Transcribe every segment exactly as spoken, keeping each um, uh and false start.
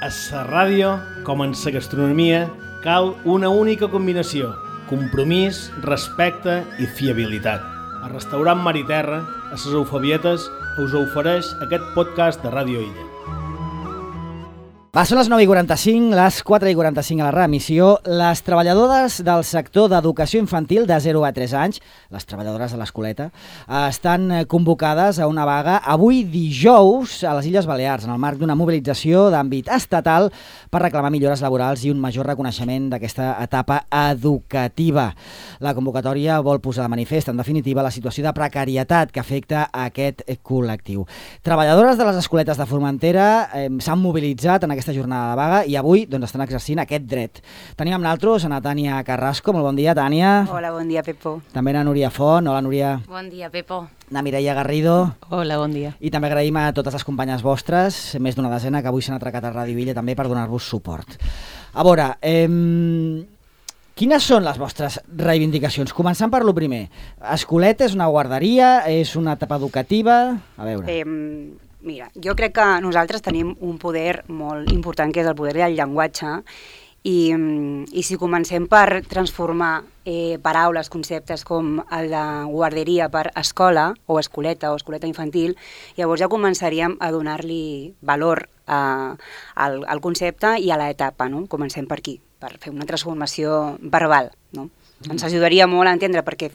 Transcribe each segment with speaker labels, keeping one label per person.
Speaker 1: A la ràdio, com en la gastronomia, cal una única combinació: compromís, respecte i fiabilitat. El restaurant Mar i Terra, a les Eufabietes, us ofereix aquest podcast de Ràdio Illa.
Speaker 2: Va, són les nou i quaranta-cinc, les quatre i quaranta-cinc a la reemissió. Les treballadores del sector d'educació infantil de zero a tres anys, les treballadores de l'escoleta, estan convocades a una vaga avui dijous a les Illes Balears, en el marc d'una mobilització d'àmbit estatal per reclamar millores laborals i un major reconeixement d'aquesta etapa educativa. La convocatòria vol posar de manifest, en definitiva, la situació de precarietat que afecta a aquest col·lectiu. Treballadores de les escoletes de Formentera eh, s'han mobilitzat en aquesta jornada de vaga i avui doncs, estan exercint aquest dret. Tenim amb nosaltres a na Tània Carrasco. Molt bon dia, Tània.
Speaker 3: Hola, bon dia, Pepo.
Speaker 2: També a Núria Font. Hola, Núria.
Speaker 4: Bon dia, Pepo.
Speaker 2: A Mireia Garrido.
Speaker 5: Hola, bon dia.
Speaker 2: I també agraïm a totes les companyes vostres, més d'una desena, que avui s'han atracat a Ràdio Illa també per donar-vos suport. A veure, eh, quines són les vostres reivindicacions? Començant per lo primer. Escoleta és una guarderia, és una etapa educativa... A veure...
Speaker 3: Eh, Mira, jo crec que nosaltres tenim un poder molt important, que és el poder del llenguatge, i, i si comencem per transformar eh, paraules, conceptes com el de guarderia per escola, o escoleta, o escoleta infantil, llavors ja començaríem a donar-li valor a, al, al concepte i a l'etapa, no? Comencem per aquí, per fer una transformació verbal, no? Ens ajudaria molt a entendre, perquè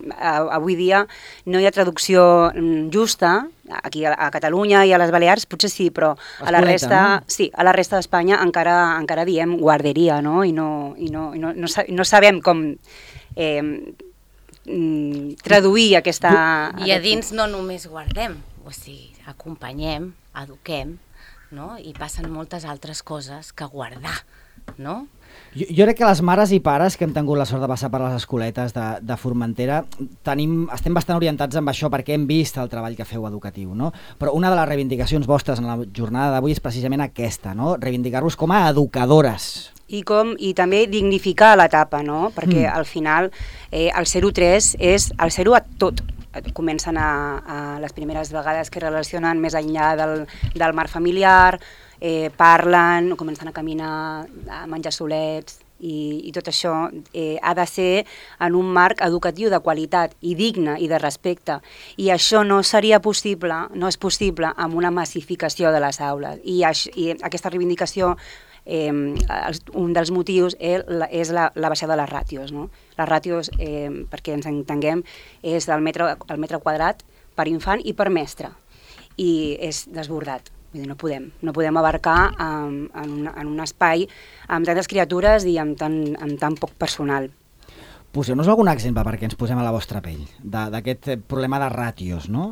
Speaker 3: avui dia no hi ha traducció justa, aquí a Catalunya i a les Balears potser sí, però a la resta, no? Sí, a la resta d'Espanya encara encara diem guarderia, no? I no, i no, i no, no, no sabem com eh, traduir aquesta...
Speaker 4: I a dins no només guardem, o sigui, acompanyem, eduquem, no? I passen moltes altres coses que guardar, no?
Speaker 2: Jo, jo crec que les mares i pares que hem tingut la sort de passar per les escoletes de, de Formentera tenim, estem bastant orientats amb això perquè hem vist el treball que feu educatiu, no? Però una de les reivindicacions vostres en la jornada d'avui és precisament aquesta, no? Reivindicar-vos com a educadores.
Speaker 3: I, com, i també dignificar l'etapa, no? Perquè mm. al final eh, el zero tres és el zero a tot. Comencen a, a les primeres vegades que relacionen més enllà del, del marc familiar, eh, parlen, comencen a caminar, a menjar solets, i, i tot això eh, ha de ser en un marc educatiu de qualitat i digne i de respecte. I això no seria possible, no és possible amb una massificació de les aules. I, això, i aquesta reivindicació, eh, un dels motius és la, és la, la baixada de les ràtios, no? Les ràtios, eh, perquè ens entenguem, és el metre, el metre quadrat per infant i per mestre, i és desbordat. Vull dir, no podem, no podem abarcar um, en, un, en un espai amb tantes criatures i amb tan, amb tan poc personal.
Speaker 2: Poseu-nos algun exemple perquè ens posem a la vostra pell d'aquest problema de ràtios, no?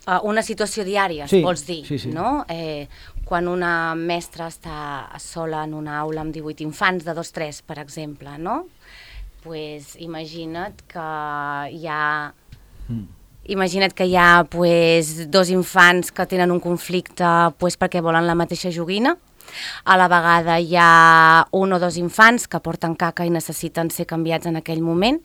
Speaker 4: Uh, una situació diària,
Speaker 2: sí,
Speaker 4: vols dir,
Speaker 2: sí, sí.
Speaker 4: No? Eh, quan una mestra està sola en una aula amb divuit infants de dos tres, per exemple, no? Pues imagina't que hi ha... Mm. Imagina't que hi ha pues, dos infants que tenen un conflicte pues, perquè volen la mateixa joguina. A la vegada hi ha un o dos infants que porten caca i necessiten ser canviats en aquell moment.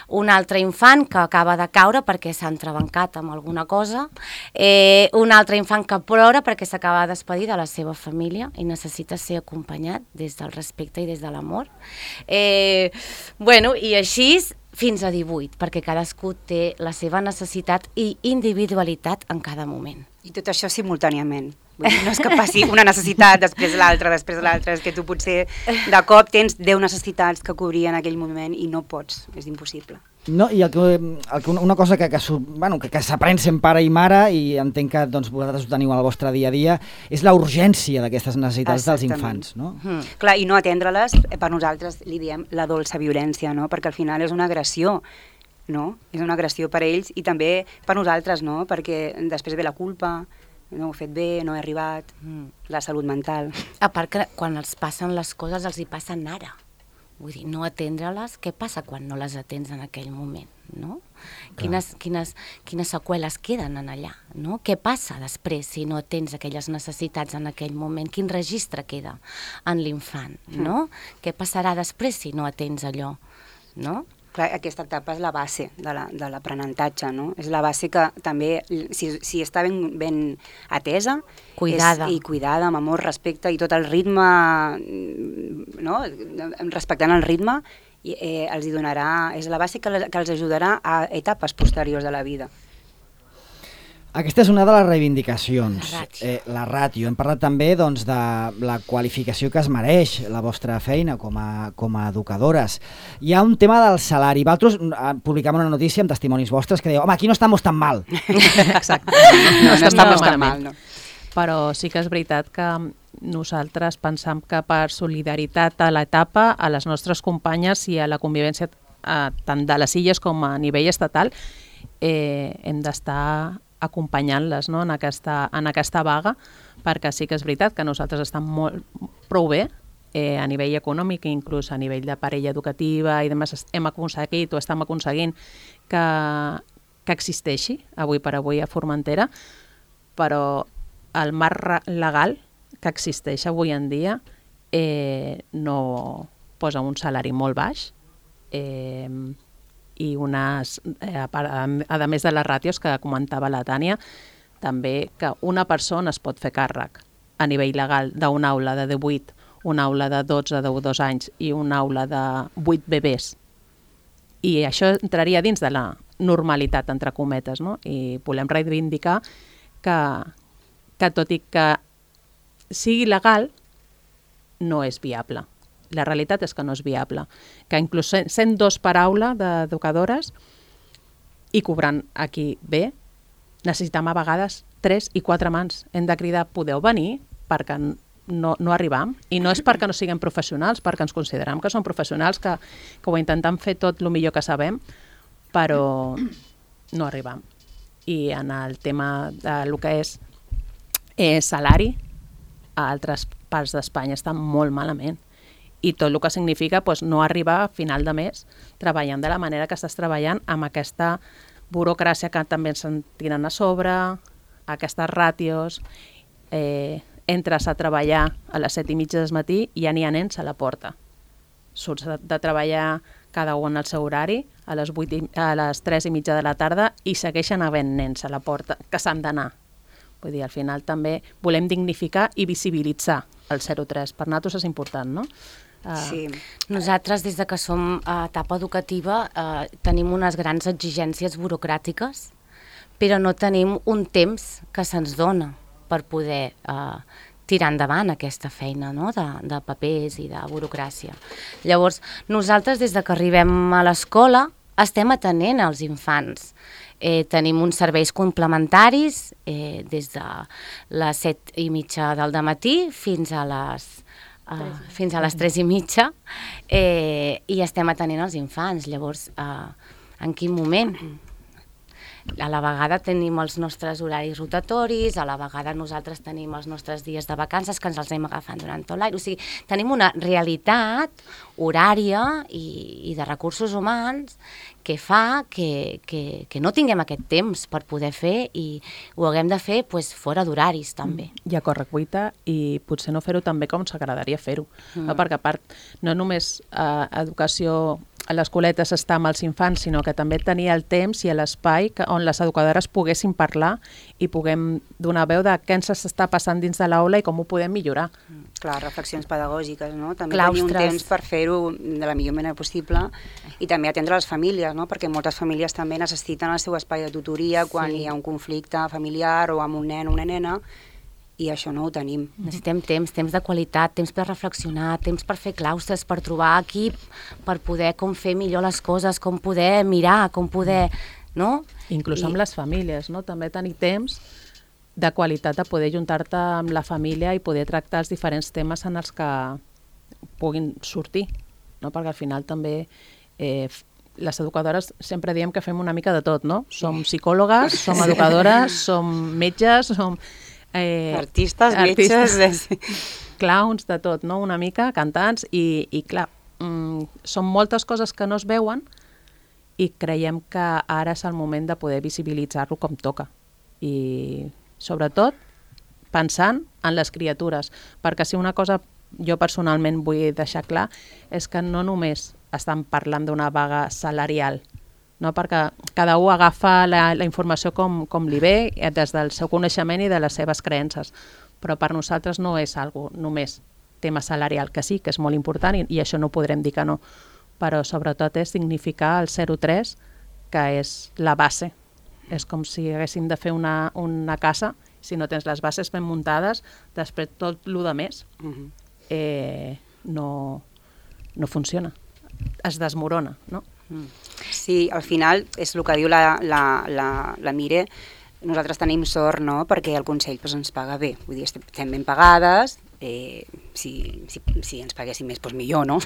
Speaker 4: Un altre infant que acaba de caure perquè s'ha entrebancat amb alguna cosa. Eh, un altre infant que plora perquè s'acaba de despedir de la seva família i necessita ser acompanyat des del respecte i des de l'amor. Eh, bueno, i així fins a divuit, perquè cadascú té la seva necessitat i individualitat en cada moment.
Speaker 3: I tot això simultàniament. Vull dir, no és que passi una necessitat, després l'altra, després l'altra, és que tu potser de cop tens deu necessitats que cobrir en aquell moment i no pots, és impossible.
Speaker 2: No, i el que, el que, una cosa que, que, bueno, que, que s'aprèn sent pare i mare, i entenc que doncs, vosaltres ho teniu al vostre dia a dia, és la urgència d'aquestes necessitats dels infants, no?
Speaker 3: Mm. Clar, i no atendre-les, per nosaltres li diem la dolça violència, no? Perquè al final és una agressió, no? És una agressió per ells i també per nosaltres, no? Perquè després ve la culpa, no ho he fet bé, no he arribat, mm. la salut mental.
Speaker 4: A part que quan els passen les coses els hi passen ara. Vull dir, no atendre-les, què passa quan no les atens en aquell moment, no? Quines, quines, quines seqüeles queden en allà, no? Què passa després si no atens aquelles necessitats en aquell moment? Quin registre queda en l'infant, no? Mm. Què passarà després si no atens allò, no?
Speaker 3: Clar, aquesta etapa és la base de l'aprenentatge, no? És la base que també, si, si està ben, ben atesa,
Speaker 4: cuidada.
Speaker 3: És, i cuidada, amb amor, respecte, i tot el ritme, no? Respectant el ritme, i, eh, els hi donarà, és la base que, que els ajudarà a etapes posteriors de la vida.
Speaker 2: Aquesta és una de les reivindicacions,
Speaker 4: la ràtio.
Speaker 2: Eh, la ràtio. Hem parlat també doncs, de la qualificació que es mereix la vostra feina com a, com a educadores. Hi ha un tema del salari. Vosaltres publicàvem una notícia amb testimonis vostres que dieu, home, aquí no estamos tan mal.
Speaker 5: Exacte.
Speaker 3: No, no, no estamos tan mal, no.
Speaker 5: Però sí que és veritat que nosaltres pensam que per solidaritat a l'etapa, a les nostres companyes i a la convivència eh, tant de les illes com a nivell estatal, eh, hem d'estar acompanyant-les, no? en, aquesta, en aquesta vaga, perquè sí que és veritat que nosaltres estem molt, prou bé eh, a nivell econòmic, inclús a nivell de parella educativa i demés, hem aconseguit o estem aconseguint que, que existeixi avui per avui a Formentera, però el marc legal que existeix avui en dia eh, no posa un salari molt baix, eh, i unes, eh, a, a més de les ràtios que comentava la Tània, també que una persona es pot fer càrrec a nivell legal d'una aula de divuit, una aula de dotze, de dos anys i una aula de vuit bebès. I això entraria dins de la normalitat, entre cometes, no? I volem reivindicar que, que tot i que sigui legal, no és viable. La realitat és que no és viable, que inclús sent dos per aula d'educadores i cobrant aquí bé, necessitem a vegades tres i quatre mans. Hem de cridar, podeu venir, perquè no, no arribam, i no és perquè no siguem professionals, perquè ens considerem que som professionals, que, que ho intentem fer tot el millor que sabem, però no arribam. I en el tema del que és eh, salari, a altres parts d'Espanya estan molt malament. I tot el que significa doncs, no arribar a final de mes treballant de la manera que estàs treballant amb aquesta burocràcia que també ens tiren a sobre, aquestes ràtios, eh, entres a treballar a les set i mitja del matí i ja n'hi ha nens a la porta. Surts de, de treballar cada un al seu horari, a les, vuit i, a les tres i mitja de la tarda i segueixen havent nens a la porta que s'han d'anar. Vull dir, al final també volem dignificar i visibilitzar el zero tres. Per nosaltres és important, no? Uh,
Speaker 3: Sí.
Speaker 4: Nosaltres, des de que som a etapa educativa, eh, tenim unes grans exigències burocràtiques, però no tenim un temps que se'ns dona per poder eh, tirar endavant aquesta feina, no? de, de papers i de burocràcia. Llavors, nosaltres, des de que arribem a l'escola, estem atenent als infants. Eh, tenim uns serveis complementaris eh, des de les set i mitja del dematí fins a les, uh, fins a les tres i mitja eh, i estem atenent els infants. Llavors, uh, en quin moment? A la vegada tenim els nostres horaris rotatoris, a la vegada nosaltres tenim els nostres dies de vacances que ens els anem agafant durant tot l'any. O sigui, tenim una realitat horària i, i de recursos humans que fa que, que, que no tinguem aquest temps per poder fer i ho haguem de fer pues, fora d'horaris també.
Speaker 5: I a correcuita i potser no fer-ho també com s'agradaria fer-ho. Mm. No? Perquè a part, no només eh, educació a les escoletes està amb els infants, sinó que també tenia el temps i l'espai on les educadores poguessin parlar i puguem donar veu de què ens està passant dins de l'aula i com ho podem millorar.
Speaker 3: Mm. Clar, reflexions pedagògiques, no? També
Speaker 4: Claustres.
Speaker 3: tenir un temps per fer-ho de la millor manera possible i també atendre les famílies, no? Perquè moltes famílies també necessiten el seu espai de tutoria quan
Speaker 4: Sí.
Speaker 3: hi ha un conflicte familiar o amb un nen o una nena i això no ho tenim.
Speaker 4: Necessitem temps, temps de qualitat, temps per reflexionar, temps per fer claustres, per trobar equip, per poder com fer millor les coses, com poder mirar, com poder... No?
Speaker 5: Inclús
Speaker 4: I-
Speaker 5: amb les famílies, no? També tenir temps de qualitat de poder juntar-te amb la família i poder tractar els diferents temes en els que puguin sortir, no? Perquè al final també eh, les educadores sempre diem que fem una mica de tot, no? Som psicòlogues, som educadores, som metges, som... Eh,
Speaker 3: Artistes,
Speaker 5: artistes,
Speaker 3: metges...
Speaker 5: clowns, de tot, no? Una mica, cantants, i, i clar, mm, són moltes coses que no es veuen i creiem que ara és el moment de poder visibilitzar-lo com toca. I sobretot pensant en les criatures, perquè si una cosa jo personalment vull deixar clar és que no només estan parlant d'una vaga salarial, no? Perquè cada un agafa la, la informació com, com li ve, des del seu coneixement i de les seves creences, però per nosaltres no és algo només tema salarial, que sí, que és molt important i, i això no podrem dir que no, però sobretot és significar el zero tres, que és la base. És com si haguéssim de fer una, una casa, si no tens les bases ben muntades, després tot el de més eh, no, no funciona, es desmorona, no?
Speaker 3: Sí, al final és el que diu la, la, la, la Mire, nosaltres tenim sort, no?, perquè el Consell pues, ens paga bé, vull dir, estem ben pagades, eh, si, si, si ens paguéssim més, doncs millor, no?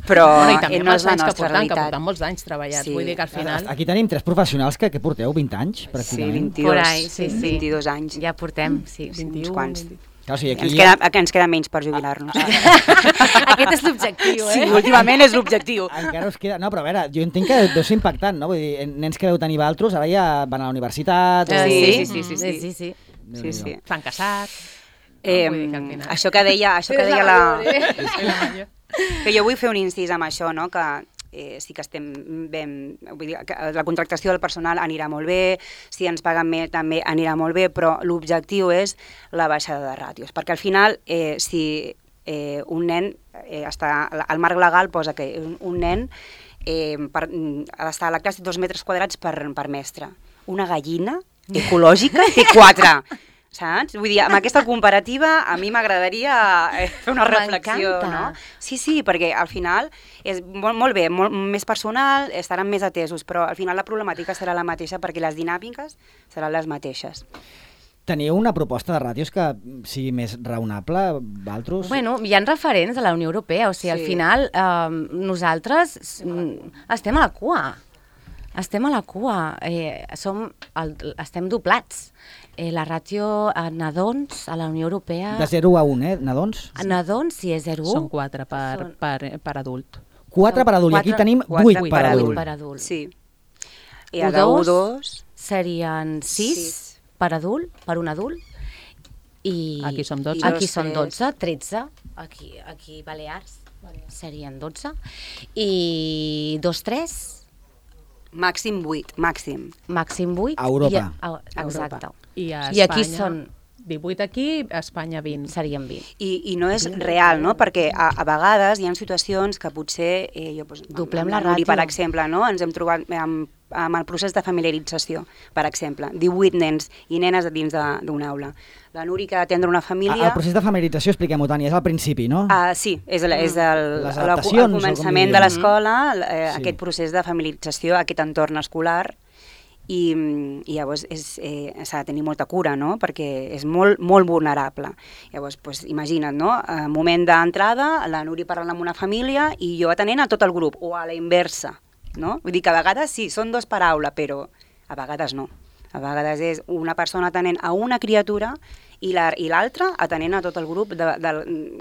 Speaker 3: Però
Speaker 5: bueno, i també
Speaker 3: eh, no és la
Speaker 5: anys que
Speaker 3: nostra
Speaker 5: portem,
Speaker 3: realitat.
Speaker 5: que portem molts anys treballats, sí. Vull dir que al final...
Speaker 2: Aquí tenim tres professionals que, que porteu vint anys,
Speaker 3: Sí,
Speaker 2: pràcticament.
Speaker 3: vint-i-dos,
Speaker 4: Por ahí, sí, sí.
Speaker 3: vint-i-dos anys.
Speaker 4: Ja portem, sí.
Speaker 3: Uns quants.
Speaker 2: Clar, o sigui, aquí
Speaker 3: Ens
Speaker 2: ja...
Speaker 3: queda, ens queda menys per jubilar-nos.
Speaker 4: Aquest és l'objectiu, eh?
Speaker 3: Sí, últimament és l'objectiu.
Speaker 2: Encara us queda... No, però a veure, jo entenc que deu ser impactant, no? Vull dir, nens que deu tenir vosaltres ara ja van a la universitat...
Speaker 3: Sí,
Speaker 2: o...
Speaker 3: sí, sí, sí, sí.
Speaker 4: sí, sí.
Speaker 3: Sí, sí.
Speaker 5: S'han casat...
Speaker 3: Eh,
Speaker 5: No, vull dir que al final-
Speaker 3: això que deia, això que deia la...
Speaker 5: Sí, la major.
Speaker 3: Que jo vull fer un incís amb això, no? Que eh, sí que estem ben... Vull dir, que la contractació del personal anirà molt bé, si ens paguen més també anirà molt bé, però l'objectiu és la baixada de ràtios, perquè al final, eh, si eh, un nen eh, està... El marc legal posa que un, un nen eh, per, ha d'estar a la classe dos metres quadrats per, per mestre. Una gallina ecològica té quatre. Saps? Vull dir, amb aquesta comparativa a mi m'agradaria fer una reflexió, no? Sí, sí, perquè al final és molt, molt bé, molt més personal, estaran més atesos, però al final la problemàtica serà la mateixa perquè les dinàmiques seran les mateixes.
Speaker 2: Teniu una proposta de ràtios que sigui més raonable, vosaltres?
Speaker 4: Bueno, hi ha referents de la Unió Europea, o sigui,
Speaker 3: Sí.
Speaker 4: al final eh, nosaltres mm, estem a la cua. Estem a la cua, eh, som el, estem doblats. Eh, la ràtio a nadons a la Unió Europea...
Speaker 2: De zero a un, eh, nadons?
Speaker 4: A nadons, si és zero a un...
Speaker 5: Són quatre per,
Speaker 4: Són-
Speaker 5: per, per adult.
Speaker 2: Quatre per adult, i aquí
Speaker 4: Quatre-
Speaker 2: tenim
Speaker 3: quatre
Speaker 2: vuit
Speaker 3: per
Speaker 2: per
Speaker 3: adult.
Speaker 2: adult.
Speaker 4: per adult.
Speaker 3: Sí. I a de
Speaker 4: U
Speaker 3: U
Speaker 4: dos
Speaker 3: dos...
Speaker 4: serien sis
Speaker 3: Sis.
Speaker 4: per adult, per un adult, i
Speaker 5: Aquí som dotze.
Speaker 4: Aquí
Speaker 3: I dos,
Speaker 4: són
Speaker 3: tres.
Speaker 4: dotze, tretze, aquí, aquí Balears serien dotze, i dos, tres,
Speaker 3: Màxim vuit, màxim.
Speaker 4: màxim vuit.
Speaker 2: A Europa.
Speaker 4: I a, a, exacte.
Speaker 5: I a
Speaker 4: I aquí
Speaker 5: Espanya,
Speaker 4: són,
Speaker 5: divuit aquí, a Espanya vint.
Speaker 4: serien vint.
Speaker 3: I, i no és real, no? Perquè a, a vegades hi ha situacions que potser... Eh, jo, doncs,
Speaker 4: Doblem
Speaker 3: amb
Speaker 4: la
Speaker 3: Nuri,
Speaker 4: ràtio.
Speaker 3: per exemple, no? Ens hem trobat amb, amb el procés de familiarització, per exemple. divuit nens i nenes a dins de- d'una aula. La Nuri que ha d'atendre una
Speaker 2: Ah,
Speaker 3: família...
Speaker 2: El procés de familiarització, expliquem-ho, Tània, és al principi, no?
Speaker 3: Uh, sí, és, el, és el,
Speaker 2: Les
Speaker 3: el,
Speaker 2: adaptacions,
Speaker 3: el
Speaker 2: o com
Speaker 3: començament
Speaker 2: diríem.
Speaker 3: de l'escola, eh,
Speaker 2: Sí.
Speaker 3: aquest procés de familiarització, aquest entorn escolar, i, i llavors és, eh, s'ha de tenir molta cura, no? Perquè és molt, molt vulnerable. Llavors, pues, imagina't, no? Eh, moment d'entrada, la Nuri parlant amb una família i jo atenent a tot el grup, o a la inversa, no? Vull dir que a vegades sí, són dos per aula, però a vegades no. A vegades és una persona atenent a una criatura i la- i l'altra atenent a tot el grup de, de,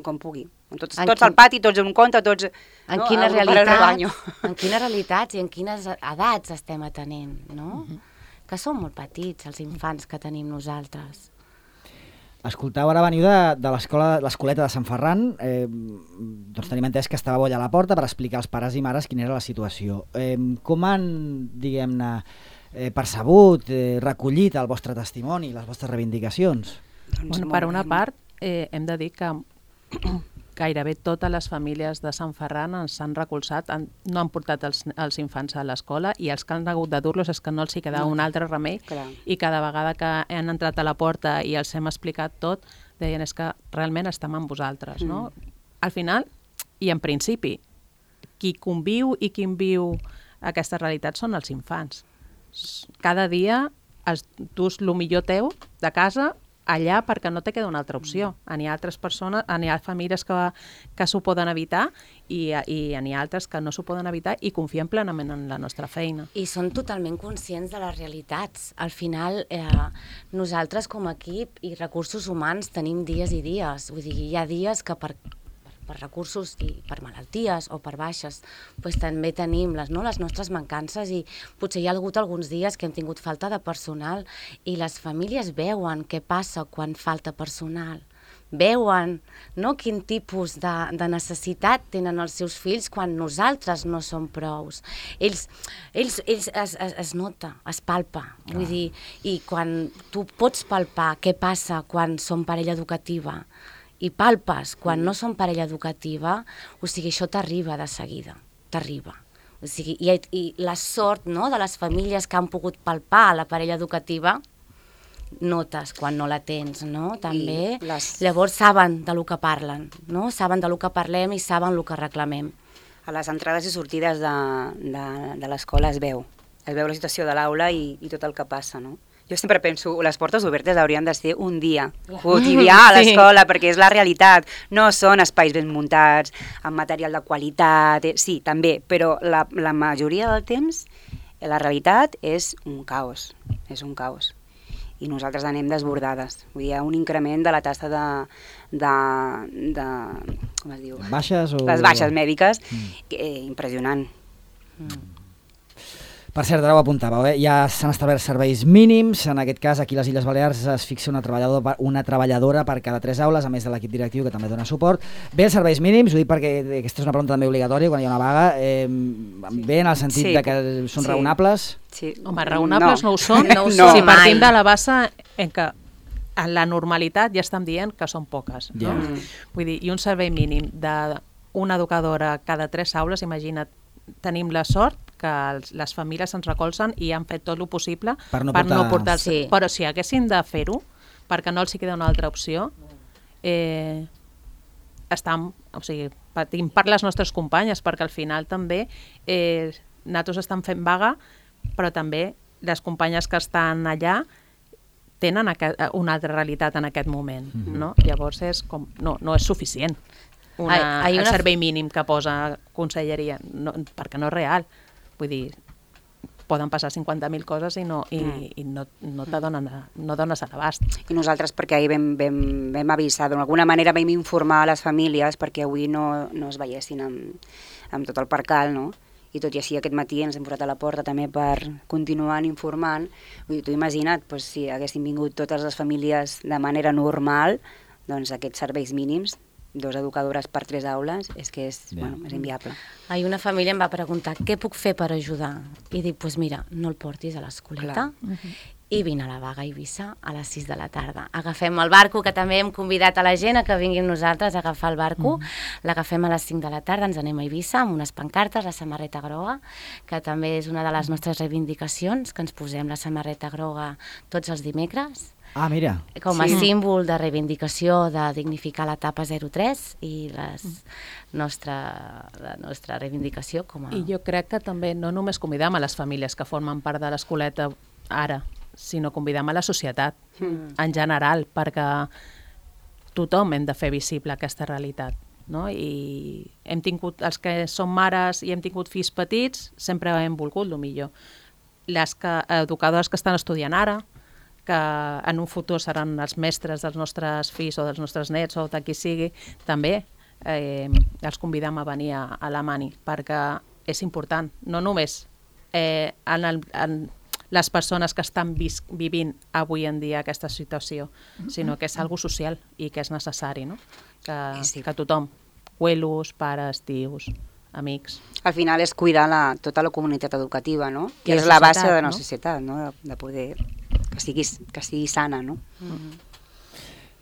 Speaker 3: com pugui. Tots,
Speaker 4: En
Speaker 3: tots
Speaker 4: quin-
Speaker 3: al pati, tots en compte, tots...
Speaker 4: En
Speaker 3: no?
Speaker 4: quines
Speaker 3: El grup al rebaño.
Speaker 4: realitats, en quines realitats i en quines edats estem atenent, no? Que són molt petits els infants que tenim nosaltres.
Speaker 2: Escoltau, ara veniu de, de l'escola, l'escoleta de Sant Ferran, eh, doncs tenim entès que estàveu allà a la porta per explicar als pares i mares quina era la situació. Eh, com han, diguem-ne, eh, percebut, eh, recollit el vostre testimoni, les vostres reivindicacions?
Speaker 3: Doncs
Speaker 5: Bueno,
Speaker 3: molt
Speaker 5: per una
Speaker 3: bé.
Speaker 5: part, eh, hem de dir que gairebé totes les famílies de Sant Ferran ens han recolzat, han, no han portat els, els infants a l'escola i els que han hagut de dur-los és que no els hi quedava
Speaker 3: No.
Speaker 5: un altre remei
Speaker 3: Clar.
Speaker 5: i cada vegada que han entrat a la porta i els hem explicat tot, deien és que realment estem amb vosaltres, no? Al final, i en principi, qui conviu i qui viu aquesta realitat són els infants. Cada dia es dus el millor teu de casa allà perquè no te queda una altra opció. N'hi ha altres persones, n'hi ha famílies que, que s'ho poden evitar i, i n'hi ha altres que no s'ho poden evitar i confiem plenament en la nostra feina.
Speaker 4: I són totalment conscients de les realitats. Al final, eh, nosaltres com a equip i recursos humans tenim dies i dies. Vull dir, hi ha dies que per, per recursos i per malalties o per baixes, doncs també tenim les, no, les nostres mancances i potser hi ha hagut alguns dies que hem tingut falta de personal i les famílies veuen què passa quan falta personal. veuen, no? Quin tipus de, de necessitat tenen els seus fills quan nosaltres no som prous. Ells, ells, ells es, es, es nota, es palpa, vull dir, i quan tu pots palpar què passa quan som parella educativa i palpes quan no som parella educativa, o sigui, això t'arriba de seguida, t'arriba. O sigui, i, i la sort, no?, de les famílies que han pogut palpar la parella educativa, notes quan no la tens, no? També. Les... Llavors saben de lo que parlen, no? Saben de lo que parlem i saben el que reclamem.
Speaker 3: A les entrades i sortides de, de, de l'escola es veu. Es veu la situació de l'aula i, i tot el que passa, no? Jo sempre penso, les portes obertes haurien de ser un dia quotidià a l'escola, sí. Perquè és la realitat. No són espais ben muntats, amb material de qualitat, eh, sí, també, però la, la majoria del temps la realitat és un caos, és un caos. I nosaltres anem desbordades. Vull dir, hi ha un increment de la taxa de, de, de com es diu?
Speaker 2: Baixes o...
Speaker 3: Les baixes mèdiques, mm. eh, impressionant. Mm.
Speaker 2: Per cert, ara ho apuntàveu, eh? Ja s'han establert serveis mínims, en aquest cas aquí a les Illes Balears es fixa una treballadora, una treballadora per cada tres aules, a més de l'equip directiu que també dona suport. Bé, els serveis mínims, ho dic perquè aquesta és una pregunta també obligatòria quan hi ha una vaga, eh, bé en el sentit sí. de que són sí. raonables?
Speaker 5: Sí. Home, raonables no, no ho són,
Speaker 3: no ho
Speaker 5: no. Si partim de la base en què en la normalitat ja estem dient que són poques, no?
Speaker 2: Yeah.
Speaker 5: Vull dir, i un servei mínim d'una educadora cada tres aules, imagina't, tenim la sort que els, les famílies ens recolzen i han fet tot el possible
Speaker 2: per no
Speaker 5: per
Speaker 2: portar...
Speaker 5: no portar els...
Speaker 4: Sí.
Speaker 5: Però si haguessin de fer-ho, perquè no els hi queda una altra opció, eh, estam, o sigui, patim per les nostres companyes, perquè al final també eh, nosaltres estan fent vaga, però també les companyes que estan allà tenen aquest, una altra realitat en aquest moment, mm-hmm. no? Llavors és com, no, no és suficient. Una, hay, hay una... el servei mínim que posa Conselleria, no, perquè no és real. Vull dir, poden passar cinquanta mil coses i no, i, mm. i no, no, donen, no dones a l'abast.
Speaker 3: I nosaltres, perquè ahir vam, vam, vam avisar, d'alguna manera vam informar a les famílies perquè avui no, no es veiessin amb, amb tot el percal, no? I tot i així aquest matí ens hem posat a la porta també per continuar informant. Vull dir, tu imagina't, doncs, si haguessin vingut totes les famílies de manera normal, doncs aquests serveis mínims, dos educadores per tres aules, és que és, bueno, és inviable.
Speaker 4: Ahir una família em va preguntar què puc fer per ajudar? I dic, doncs pues mira, no el portis a l'escoleta uh-huh. i vine a la vaga a Eivissa a les sis de la tarda. Agafem el barco, que també hem convidat a la gent a que vinguin nosaltres a agafar el barco, uh-huh. l'agafem a les cinc de la tarda, ens anem a Eivissa amb unes pancartes, la samarreta groga, que també és una de les nostres reivindicacions, que ens posem la samarreta groga tots els dimecres,
Speaker 2: Ah, mira.
Speaker 4: Com a
Speaker 3: sí.
Speaker 4: símbol de reivindicació de dignificar l'etapa zero tres i les nostra, la nostra reivindicació com a...
Speaker 5: I jo crec que també no només convidam a les famílies que formen part de l'escoleta ara, sinó convidam a la societat mm. en general, perquè tothom hem de fer visible aquesta realitat. No? I hem tingut, els que som mares i hem tingut fills petits, sempre hem volgut el millor. Les que, educadores que estan estudiant ara, que en un futur seran els mestres dels nostres fills o dels nostres nets o de qui sigui, també eh, els convidem a venir a, a la Mani, perquè és important, no només eh, en, el, en les persones que estan vis, vivint avui en dia aquesta situació, sinó que és algo social i que és necessari, no? que, sí. que tothom, abuelos, pares, tios, amics.
Speaker 3: Al final és cuidar la, tota la comunitat educativa, no?
Speaker 5: Que
Speaker 3: és
Speaker 5: la
Speaker 3: la base
Speaker 5: societat,
Speaker 3: de la
Speaker 5: no?
Speaker 3: societat, no? De poder que sigui, que sigui sana, no?
Speaker 2: Mm-hmm.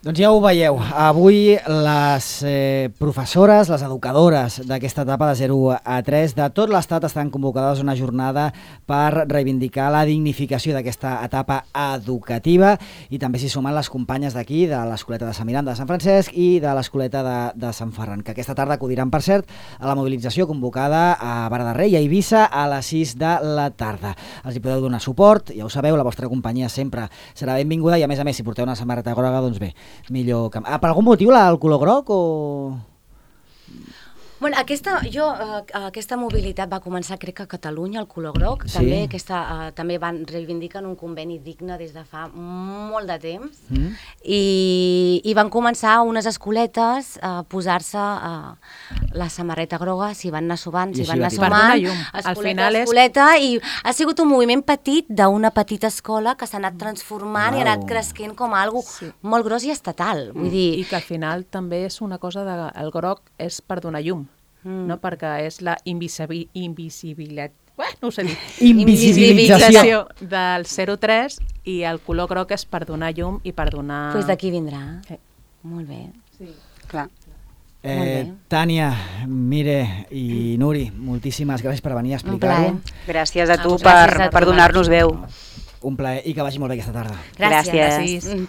Speaker 2: Doncs ja ho veieu, avui les eh, professores, les educadores d'aquesta etapa de zero a tres de tot l'estat estan convocades a una jornada per reivindicar la dignificació d'aquesta etapa educativa i també s'hi sumen les companyes d'aquí, de l'Escoleta de Sant Miranda de Sant Francesc i de l'Escoleta de, de Sant Ferran, que aquesta tarda acudiran, per cert, a la mobilització convocada a Vara de Rei i a Eivissa a les sis de la tarda. Els hi podeu donar suport, ja ho sabeu, la vostra companyia sempre serà benvinguda i a més a més si porteu una samarreta groga, doncs bé, millor que... Ah, per algun motiu la, el color groc o...?
Speaker 4: Bueno, aquesta, jo, uh, aquesta mobilitat va començar, crec que a Catalunya, el color groc,
Speaker 2: Sí.
Speaker 4: també, aquesta, uh, també van reivindiquen un conveni digne des de fa molt de temps,
Speaker 2: Mm.
Speaker 4: i, i van començar unes escoletes a posar-se uh, la samarreta groga, s'hi van anar sovant,
Speaker 2: I
Speaker 4: s'hi
Speaker 2: així
Speaker 4: van
Speaker 2: va
Speaker 4: anar
Speaker 2: tirar.
Speaker 5: Per donar
Speaker 4: sumant,
Speaker 5: llum. Al
Speaker 4: escoleta,
Speaker 5: final és-
Speaker 4: escoleta, i ha sigut un moviment petit d'una petita escola que s'ha anat transformant i ha
Speaker 2: Uau.
Speaker 4: anat creixent com a algo
Speaker 5: Sí.
Speaker 4: molt gros i estatal, vull dir...
Speaker 5: I que al final també és una cosa de... El groc és per donar llum,
Speaker 4: Mm.
Speaker 5: no? Perquè és la invisibi- invisibilitat... Uah, no ho sé dir.
Speaker 2: Invisibilització.
Speaker 5: del zero tres i el color groc és per donar llum i per donar...
Speaker 4: Pues d'aquí vindrà.
Speaker 5: Sí.
Speaker 4: Molt bé.
Speaker 5: Sí.
Speaker 3: Clar.
Speaker 2: Eh,
Speaker 4: Molt bé.
Speaker 2: Tània, Mire i Nuri, moltíssimes gràcies per venir a
Speaker 4: Un plaer.
Speaker 2: explicar-ho.
Speaker 3: Gràcies a tu
Speaker 4: Gràcies
Speaker 3: per,
Speaker 4: a tu,
Speaker 3: per donar-nos veu.
Speaker 2: Un plaer i que vagi molt bé aquesta tarda.
Speaker 4: Gràcies.
Speaker 3: Gràcies.
Speaker 5: Gràcies.